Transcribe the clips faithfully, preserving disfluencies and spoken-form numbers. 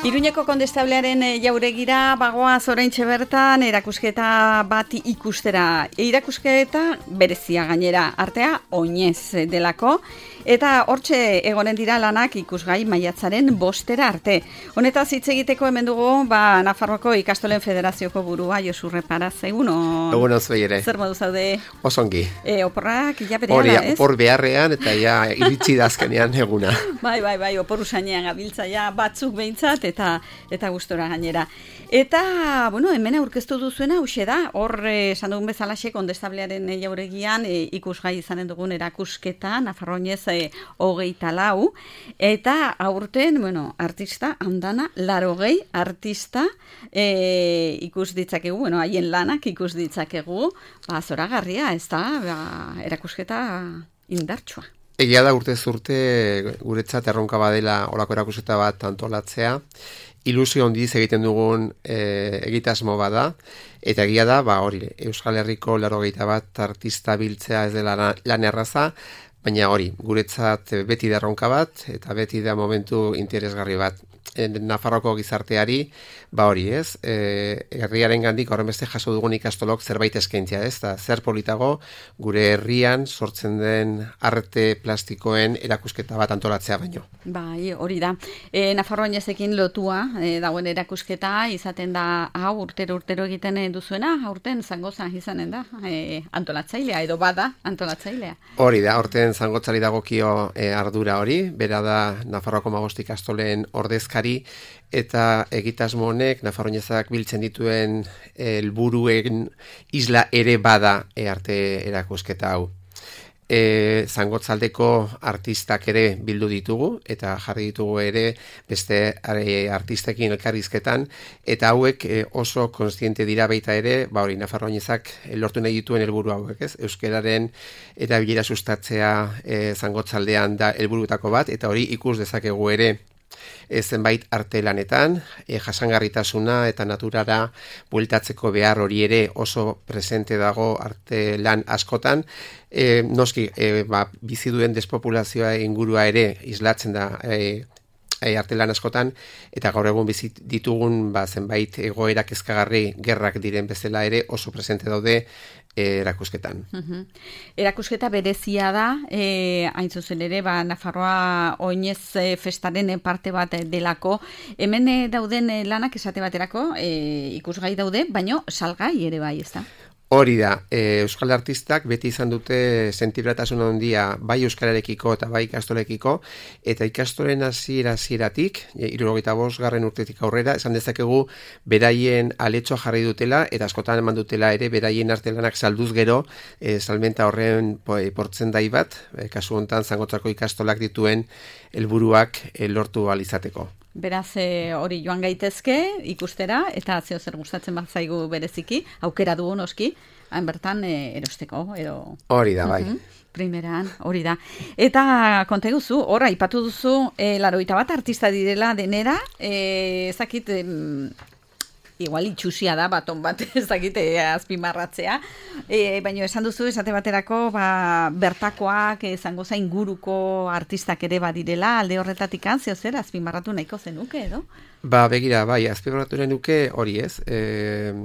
Iruñeko Kondestablearen jauregira bagoaz oraintxe bertan erakusketa bat ikustera. Erakusketa berezia gainera, artea oinez delako. Eta hortxe egonen dira lanak ikusgai maiatzaren bostera arte. Honetaz hitz egiteko hemen dugu, ba, Nafarroako Ikastolen Federazioko burua Josu Reparaz. Eguno? Eguno zuei ere. Zer modu zaude? Osongi. E, oporrak ja berehala, ez? Opor beharrean eta ja iritsi dazkenean eguna. Bai, bai, bai, opor usainean gabiltza ja batzuk behintzat eta eta gustora gainera. Eta, bueno, hemen aurkeztu duzuena huxe da, hor esan dugun bezalaxe Kondestablearen jauregian e, ikusgai izanen dugun erakusketa, Nafarroinez e, hogeita lau, eta aurten, bueno, artista, handana, larogei artista e, ikus ditzakegu, bueno, haien lanak ikus ditzakegu, ba, zoragarria, ez da, ba, erakusketa indartsua. Egia da urtez urte guretzat erronka badela olako erakusketa bat antolatzea, ilusio handiz egiten dugun e, egitasmo bada, eta egia da, ba hori, Euskal Herriko laurogeita bat artista biltzea ez dela lan erraza, baina hori, guretzat beti da erronka bat, eta beti da momentu interesgarri bat. Nafarroko gizarteari, ba hori ez, e, herriaren gandik horren beste jaso dugun ikastolok zerbait eskaintzea ez, da zer politago gure herrian sortzen den arte plastikoen erakusketa bat antolatzea baino. Bai, hori da. E, Nafarroinezekin lotua e, dagoen erakusketa izaten da hau urtero urtero egiten duzuena, aurten Zangoza izanen da e, antolatzailea, edo bada antolatzailea. Hori da, aurten Zangotzari dagokio e, ardura hori, bera da Nafarroako hamabost ikastolen ordezkari, eta egitasmo honek Nafarroinezak biltzen dituen helburuen isla ere bada e, arte erakusketa hau. E, Zangotzaldeko artistak ere bildu ditugu eta jarri ditugu ere beste e, artistekin elkarrizketan, eta hauek e, oso kontziente dira baita ere, ba hori Nafarroinezak lortu nahi dituen helburu hauek, ez? Euskararen erabilera sustatzea e, Zangotzaldean da helburuetako bat, eta hori ikus dezakegu ere E, zenbait arte lanetan, e, jasangarritasuna eta naturara bueltatzeko behar hori ere oso presente dago arte lan askotan. E, noski, e, ba, bizi duen despopulazioa ingurua ere islatzen da e, e, arte lan askotan, eta gaur egun bizi ditugun ba, zenbait egoera kezkagarri gerrak diren bezala ere oso presente daude erakusketan. Uh-huh. Erakusketa berezia da, e, hain zuzen ere, ba, Nafarroa oinez e, festaren parte bat delako. Hemen e, dauden e, lanak esate baterako, e, ikusgai daude, baino salgai ere bai, ez da? Hori da, e, Euskal artistak beti izan dute sentibratasun handia bai euskararekiko eta bai ikastolekiko, eta ikastolen hasiera hasieratik, hirurogeita bost garren urtetik aurrera, esan dezakegu beraien aletxoa jarri dutela, eta askotan eman dutela ere beraien artelanak salduz gero, e, salmenta horren po, e, portzendai bat, e, kasu hontan Zangotzako ikastolak dituen helburuak e, lortu ahal izateko. Beraz, hori joan gaitezke ikustera, eta zeo zer gustatzen bat zaigu bereziki, aukera dugu noski, hain bertan e, erosteko, edo... Hori da, bai. Uh-huh. Primeran, hori da. Eta konta guzu, horra, ipatu duzu, e, laroita bat artista direla denera, e, ezakit... E, igual itxusia da, baton bat, ez dakite azpimarratzea, e, baina esan duzu esate baterako ba, bertakoak izango zain inguruko artistak ere badirela, alde horretatik antzio zer azpimarratu nahiko zenuke, edo? Ba, begira, bai, azpimarratu nuke hori ez, e,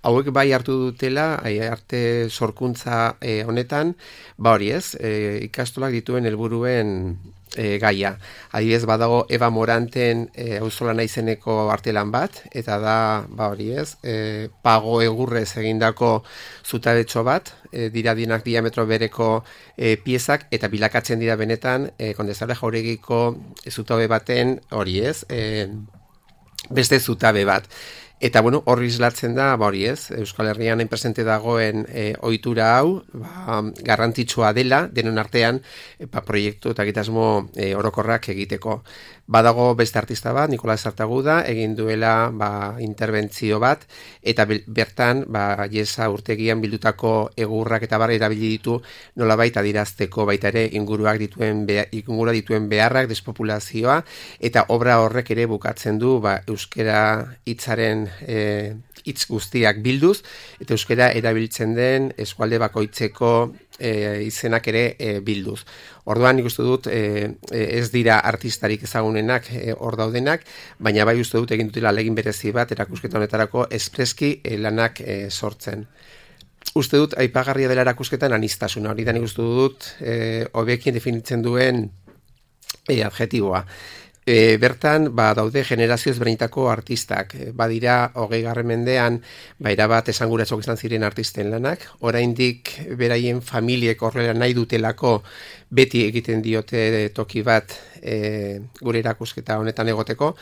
hauek bai hartu dutela, arte sorkuntza e, honetan, ba hori ez, e, ikastolak dituen helburuen E, gaia. Adibidez badago Eva Moranten e, auzolana izeneko artelan bat, eta da, ba hori ez, e, pago egurrez egindako zutabetxo bat, e, dira dinak diametro bereko e, piezak, eta bilakatzen dira benetan e, Kondestable jauregiko zutabe baten hori ez, e, beste zutabe bat. Eta, bueno, horri islatzen da, ba hori ez, Euskal Herrian hain presente dagoen e, ohitura hau, ba, garrantzitsua dela, denon artean, e, ba, proiektu eta egitasmo e, orokorrak egiteko. Badago beste artista bat, Nikola Sartaguda, egin duela ba, interbentzio bat, eta bertan, ba, Jesa urtegian bildutako egurrak eta barra erabili ditu nolabait adirazteko baita ere inguruak dituen, ingurua dituen beharrak, despopulazioa, eta obra horrek ere bukatzen du ba, euskera hitzaren e, hitz guztiak bilduz, eta euskara erabiltzen den eskualde bakoitzeko e, izenak ere e, bilduz. Orduan nik uste dut e, ez dira artistarik ezagunenak e, hor daudenak, baina bai uste dut egin dutela legin berezi bat erakusketa honetarako espreski e, lanak e, sortzen. Uste dut aipagarria dela erakusketan aniztasuna, hori da nik uste dut e, hobekien definitzen duen e, adjetiboa. E, bertan, ba, daude generazio ezberdinetako artistak. E, badira, hogei garren mendean, ba, erabat esanguratsok izan ziren artisten lanak. Oraindik beraien familiek horrela nahi dutelako beti egiten diote toki bat e, gure erakusketa honetan egoteko.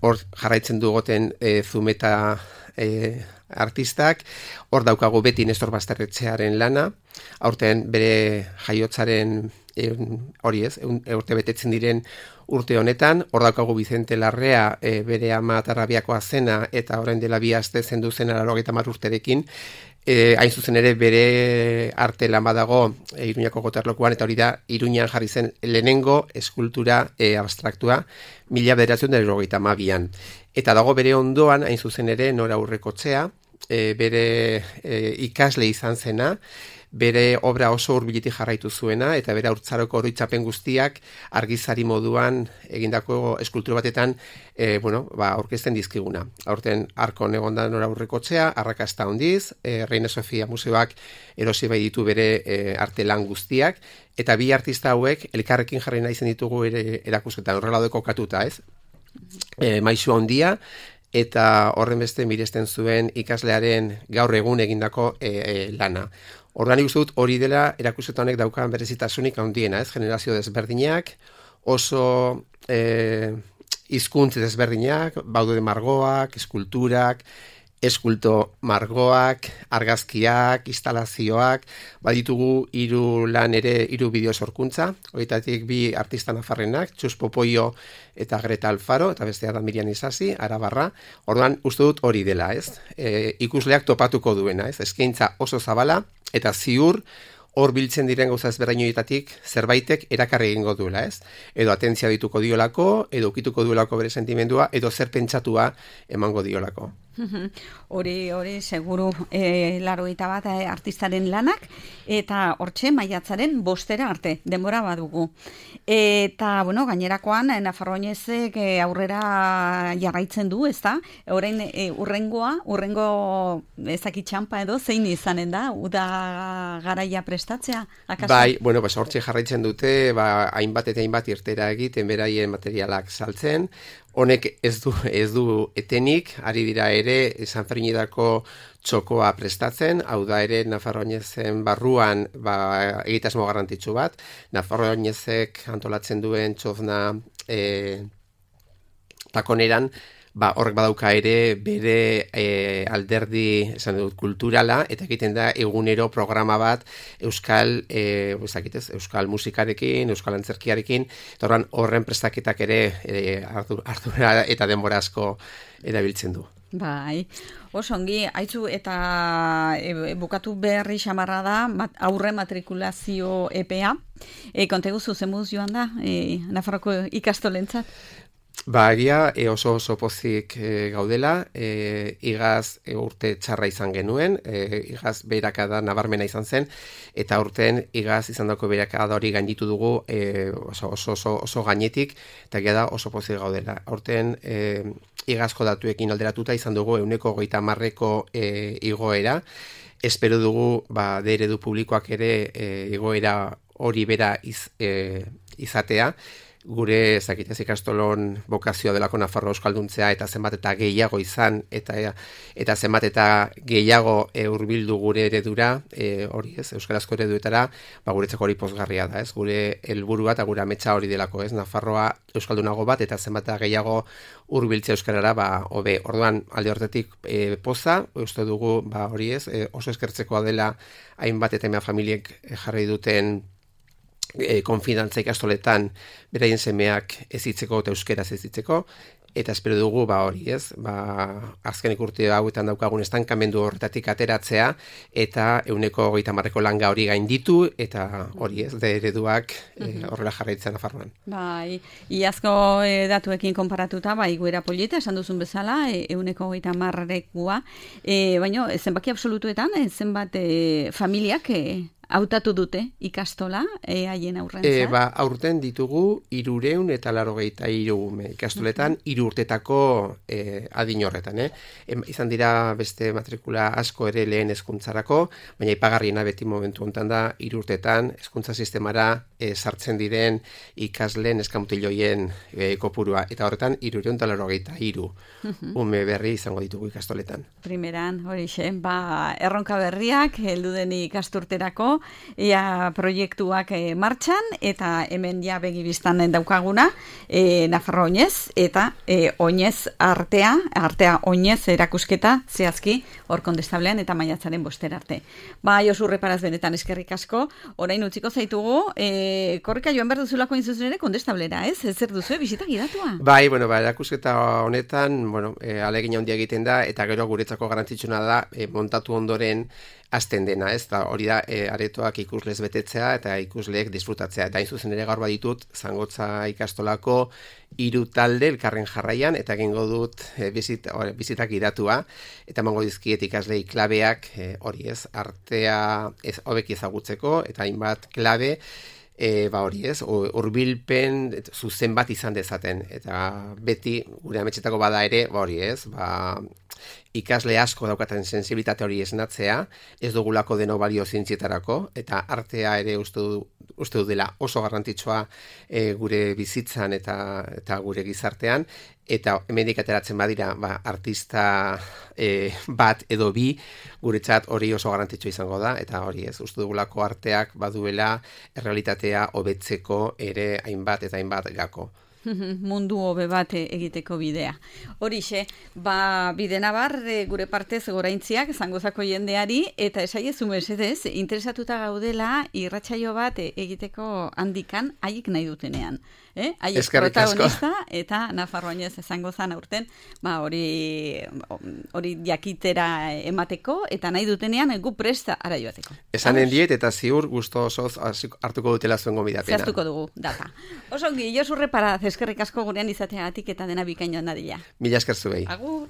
Hor jarraitzen dugoten e, Zumeta e, artistak. Hor daukagu beti Nestor Basterretxearen lana. Aurten bere jaiotzaren hori ez, urte betetzen diren urte honetan, hor daukagu Vicente Larrea e, bere ama Tarrabiakoa zena eta orain dela bi aste zendu zen laurogeita hamar urterekin, e, hain zuzen ere bere arte lan badago e, Iruñako Gotorlekuan, eta hori da Iruñan jarri zen lehenengo eskultura e, abstraktua mila bederatziehun eta hirurogeita hamabian. Eta dago bere ondoan, hain zuzen ere, Nora Aurrekoetxea, e, bere e, ikasle izan zena, bere obra oso hurbiletik jarraitu zuena, eta bere haurtzaroko oroitzapen guztiak argizari moduan egindako eskultura batetan e, bueno, ba, aurkezten dizkiguna. Aurten Arkon egonda Nora Aurrekoetxea, arrakasta handiz, e, Reina Sofia Museoak erosi bai ditu bere e, arte lan guztiak, eta bi artista hauek elkarrekin jarri nahi zen ditugu ere erakusketan, horrela deko katuta, ez? E, Maisu handia, eta horren beste miresten zuen ikaslearen gaur egun egindako e, e, lana. Orduan ikusten dut hori dela erakusketa honek daukan berezitasunik handiena, ez? Generazio desberdinak, oso eh, hizkuntz desberdinak, baude margoak, eskulturak, eskulto margoak, argazkiak, instalazioak, baditugu hiru lan ere, hiru bideo sorkuntza, horietatik bi artista nafarrenak, Txus Popoio eta Greta Alfaro, eta bestea da Miriam Isasi, Arabarra. Orduan uste dut hori dela, ez? E, ikusleak topatuko duena, ez? Eskaintza oso zabala, eta ziur hor biltzen diren gauza ezberdinoetatik zerbaitek erakarri egingo duela, ez? Edo atentzia dituko diolako, edo ukituko duelako bere sentimendua, edo zer pentsatua emango diolako. Hori, hori, seguru e, larogeita bat e, artistaren lanak, eta hortxe maiatzaren bostera arte, denbora badugu. Eta, bueno, gainerakoan, Nafarroinezek e, aurrera jarraitzen du, ez da? Orain e, urrengoa, urrengo ezakitxampa edo, zein izanen da, uda garaia prestatzea, akaso? Bai, bueno, pues hortxe jarraitzen dute, ba, hainbat eta hainbat irtera egiten, beraien materialak saltzen. Honek ez du, ez du etenik, ari dira ere San Ferminetako txokoa prestatzen, hau da ere Nafarroinezen barruan ba, egitasmo garrantzitsu bat, Nafarroinezek antolatzen duen txozna e, takoneran, ba, horrek badauka ere bere e, alderdi esan dut, kulturala, eta egiten da egunero programa bat euskal e, ezakitez, euskal musikarekin, euskal antzerkiarekin, eta horren horren prestaketak ere e, ardura eta denbora asko erabiltzen du. Bai, oso ongi, haitzu eta e, bukatu berri xamarra da mat, aurre matrikulazio epea, e, konteguzu zemuz joan da e, Nafarroko ikastolentzat? Ba, egia e, oso oso pozik e, gaudela, e, igaz e, urte txarra izan genuen, e, igaz beherakada nabarmena izan zen, eta urten igaz izan dako beherakada hori gainditu dugu e, oso, oso, oso, oso gainetik, eta egia da oso pozik gaudela. Urten e, igazko datuekin alderatuta izan dugu euneko hogeita hamarreko e, igoera, espero dugu ba, de eredu publikoak ere e, igoera hori bera iz, e, izatea, gure ezakitez ikastolon bokazioa delako Nafarroa euskalduntzea eta zenbat eta gehiago izan eta eta zenbat eta gehiago e, hurbildu gure eredura, e, hori ez, euskarazko ereduetara, ba guretzako hori pozgarria da, ez? Gure helburua eta gure ametsa hori delako, ez? Nafarroa euskaldunago bat eta zenbat eta gehiago hurbiltzea euskarara, ba hobe. Orduan alde hortetik e, poza, uste dugu, ba hori ez, e, oso eskertzekoa dela hainbat eta mea familiek jarri duten E, konfidantza ikastoletan beraien semeak ezitzeko eta euskeraz ezitzeko, eta espero dugu ba hori, ez? Ba azkenik urte hauetan daukagun estankamendu horretatik ateratzea eta ehuneko hogeita hamarreko langa hori gainditu eta hori, ez, de ereduak e, horrela jarraitzen Nafarroan. Bai, iazko e, datuekin konparatuta, bai, goera polita, esan duzun bezala, ehuneko hogeita hamarrekua, e, baina zenbaki absolutuetan, e, zenbat e, familiak e, hautatu dute ikastola e, haien aurrentza? E, ba, aurten ditugu irureun eta laurogeita hiru ikastoletan, hiru urtetako e, adin horretan. Eh? E, izan dira beste matrikula asko ere lehen hezkuntzarako, baina ipagarriena beti momentu honetan da hiru urtetan hezkuntza sistemara e, sartzen diren ikasleen eskamutiloien e, kopurua. Eta horretan irureun eta laurogeita hiru ume berri izango ditugu ikastoletan. Primeran, horixe, ba, erronka berriak, heldu den ikasturterako, ea proiektuak e, martxan, eta hemen ja begibiztan daukaguna, e, Nafarro oinez, eta e, oinez artea, artea oinez erakusketa, zehazki, hor kondestablean eta maiatzaren boster arte. Ba, Josu Reparaz benetan eskerrik asko, orain utziko zaitugu, e, korrika joan behar duzulako inzuzen ere kondestablera, ez? Ez zer duzu, bisita gidatua? Bai, bueno, ba, erakusketa honetan, bueno, e, alegin handia egiten da, eta gero guretzako garrantzitsuna da, e, montatu ondoren hasten dena, ez da, hori da, e, aretoak ikuslez betetzea eta ikusleek disfrutatzea. Eta hain zuzen ere gaur baditut, Zangotza ikastolako hiru talde elkarren jarraian, eta egingo dut e, bizit, or, bizitak idatua, eta emango dizkiet ikaslei klabeak, e, hori ez, artea ez hobeki ezagutzeko, eta hainbat klabe, E, ba hori ez, hurbilpen zuzen bat izan dezaten, eta beti gure ametxetako bada ere, ba hori ez, ba, ikasle asko daukaten sensibilitate hori esnatzea, ez dugulako deno balio zientzietarako, eta artea ere uste du, uste du dela oso garrantzitsua e, gure bizitzan eta, eta gure gizartean, eta hemendik ateratzen badira, ba, artista e, bat edo bi, guretzat hori oso garrantzitsua izango da, eta hori ez, uste dugulako arteak baduela errealitatea hobetzeko ere hainbat eta hainbat gako. Mundu hobe bat egiteko bidea. Horixe, ba, bide nabar gure partez goraintziak Zangozako jendeari, eta esaiezu mesedez, interesatuta gaudela irratsaio bat egiteko handikan haiek nahi dutenean. Eh? Haiek protagonista eta Nafarro oinez Zangozan aurten, ba, hori hori jakitera emateko, eta nahi dutenean gu presta ara joateko. Esanen diet, eta ziur gusto osoz hartuko dutela zuen gomidapena. Zehaztuko dugu, data. Osongi, Josu Reparaz, eskerrik asko gurean izateagatik eta dena bikain joan dadila. Mila esker zuei. Agur.